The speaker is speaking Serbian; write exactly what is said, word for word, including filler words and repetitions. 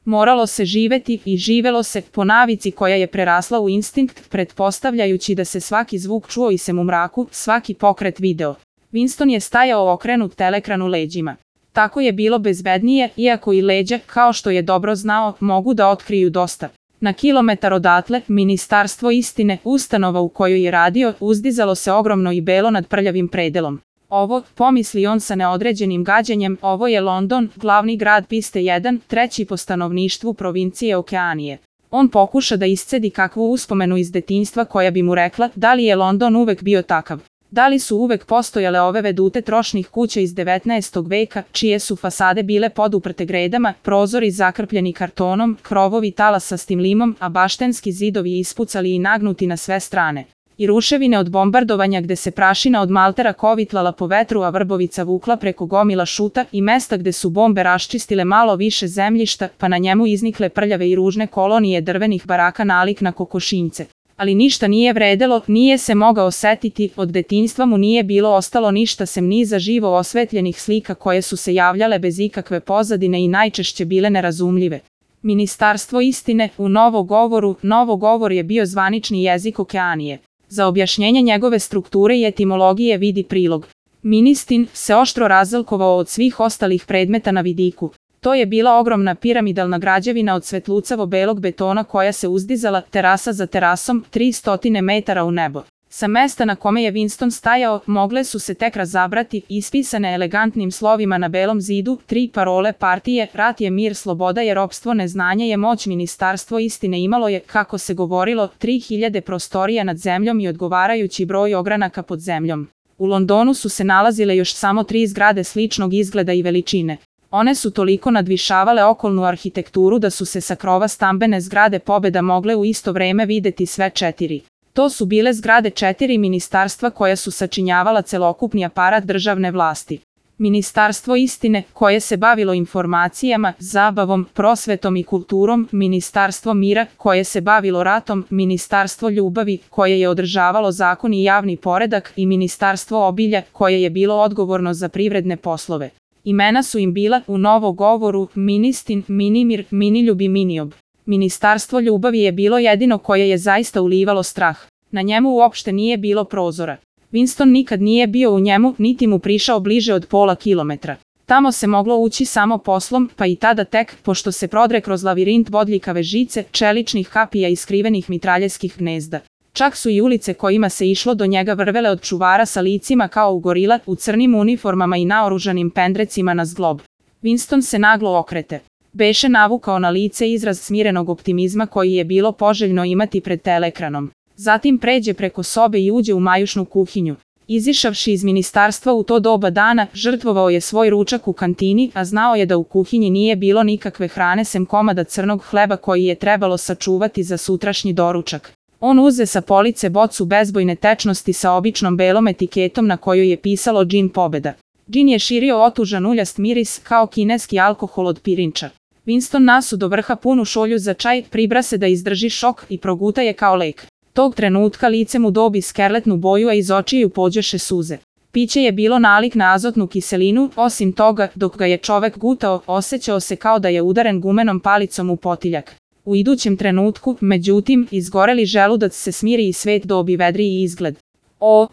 Moralo se živeti i živelo se po navici koja je prerasla u instinkt, pretpostavljajući da se svaki zvuk čuo i sem u mraku, svaki pokret video. Winston je stajao okrenut telekranu leđima. Tako je bilo bezbednije, iako i leđa, kao što je dobro znao, mogu da otkriju dosta. Na kilometar odatle, Ministarstvo istine, ustanova u kojoj je radio, uzdizalo se ogromno i belo nad prljavim predelom. Ovo, pomisli on sa neodređenim gađenjem, ovo je London, glavni grad piste jedan, treći po stanovništvu provincije Okeanije. On pokuša da iscedi kakvu uspomenu iz detinjstva koja bi mu rekla da li je London uvek bio takav. Da li su uvek postojale ove vedute trošnih kuća iz devetnaestog veka, čije su fasade bile poduprte gredama, prozori zakrpljeni kartonom, krovovi talasa s limom, a baštenski zidovi ispucali i nagnuti na sve strane. I ruševine od bombardovanja gde se prašina od maltera kovitlala po vetru, a vrbovica vukla preko gomila šuta, i mesta gde su bombe raščistile malo više zemljišta, pa na njemu iznikle prljave i ružne kolonije drvenih baraka nalik na kokošinjce. Ali ništa nije vredelo, nije se mogao osetiti, od detinjstva mu nije bilo ostalo ništa sem niza živo osvetljenih slika koje su se javljale bez ikakve pozadine i najčešće bile nerazumljive. Ministarstvo istine, u novogovoru, novogovor je bio zvanični jezik Okeanije. Za objašnjenje njegove strukture i etimologije vidi prilog. Ministin se oštro razlikovao od svih ostalih predmeta na vidiku. To je bila ogromna piramidalna građevina od svetlucavo belog betona koja se uzdizala, terasa za terasom, tri stotine metara u nebo. Sa mesta na kome je Winston stajao, mogle su se tek razabrati, ispisane elegantnim slovima na belom zidu, tri parole partije: rat je mir, sloboda je ropstvo, neznanje je moć. Ministarstvo istine imalo je, kako se govorilo, tri hiljade prostorija nad zemljom i odgovarajući broj ogranaka pod zemljom. U Londonu su se nalazile još samo tri zgrade sličnog izgleda i veličine. One su toliko nadvišavale okolnu arhitekturu da su se sa krova stambene zgrade Pobeda mogle u isto vreme videti sve četiri. To su bile zgrade četiri ministarstva koja su sačinjavala celokupni aparat državne vlasti. Ministarstvo istine, koje se bavilo informacijama, zabavom, prosvetom i kulturom, Ministarstvo mira, koje se bavilo ratom, Ministarstvo ljubavi, koje je održavalo zakon i javni poredak, i Ministarstvo obilja, koje je bilo odgovorno za privredne poslove. Imena su im bila, u novogovoru, Ministin, Minimir, Miniljub i Miniob. Ministarstvo ljubavi je bilo jedino koje je zaista ulivalo strah. Na njemu uopšte nije bilo prozora. Winston nikad nije bio u njemu, niti mu prišao bliže od pola kilometra. Tamo se moglo ući samo poslom, pa i tada tek, pošto se prodre kroz lavirint bodljikave žice, čeličnih kapija i skrivenih mitraljeskih gnezda. Čak su i ulice kojima se išlo do njega vrvele od čuvara sa licima kao u gorila, u crnim uniformama i naoružanim pendrecima na zglob. Winston se naglo okrete. Beše navukao na lice izraz smirenog optimizma koji je bilo poželjno imati pred telekranom. Zatim pređe preko sobe i uđe u majušnu kuhinju. Izišavši iz ministarstva u to doba dana, žrtvovao je svoj ručak u kantini, a znao je da u kuhinji nije bilo nikakve hrane sem komada crnog hleba koji je trebalo sačuvati za sutrašnji doručak. On uze sa police bocu bezbojne tečnosti sa običnom belom etiketom na kojoj je pisalo Džin Pobeda. Džin je širio otužan uljast miris kao kineski alkohol od pirinča. Winston nasu do vrha punu šolju za čaj, pribra se da izdrži šok i proguta je kao lek. Tog trenutka lice mu dobi skerletnu boju, a iz očiju pođeše suze. Piće je bilo nalik na azotnu kiselinu, osim toga, dok ga je čovek gutao, osjećao se kao da je udaren gumenom palicom u potiljak. U idućem trenutku, međutim, izgoreli želudac se smiri i svet dobi vedriji izgled. O,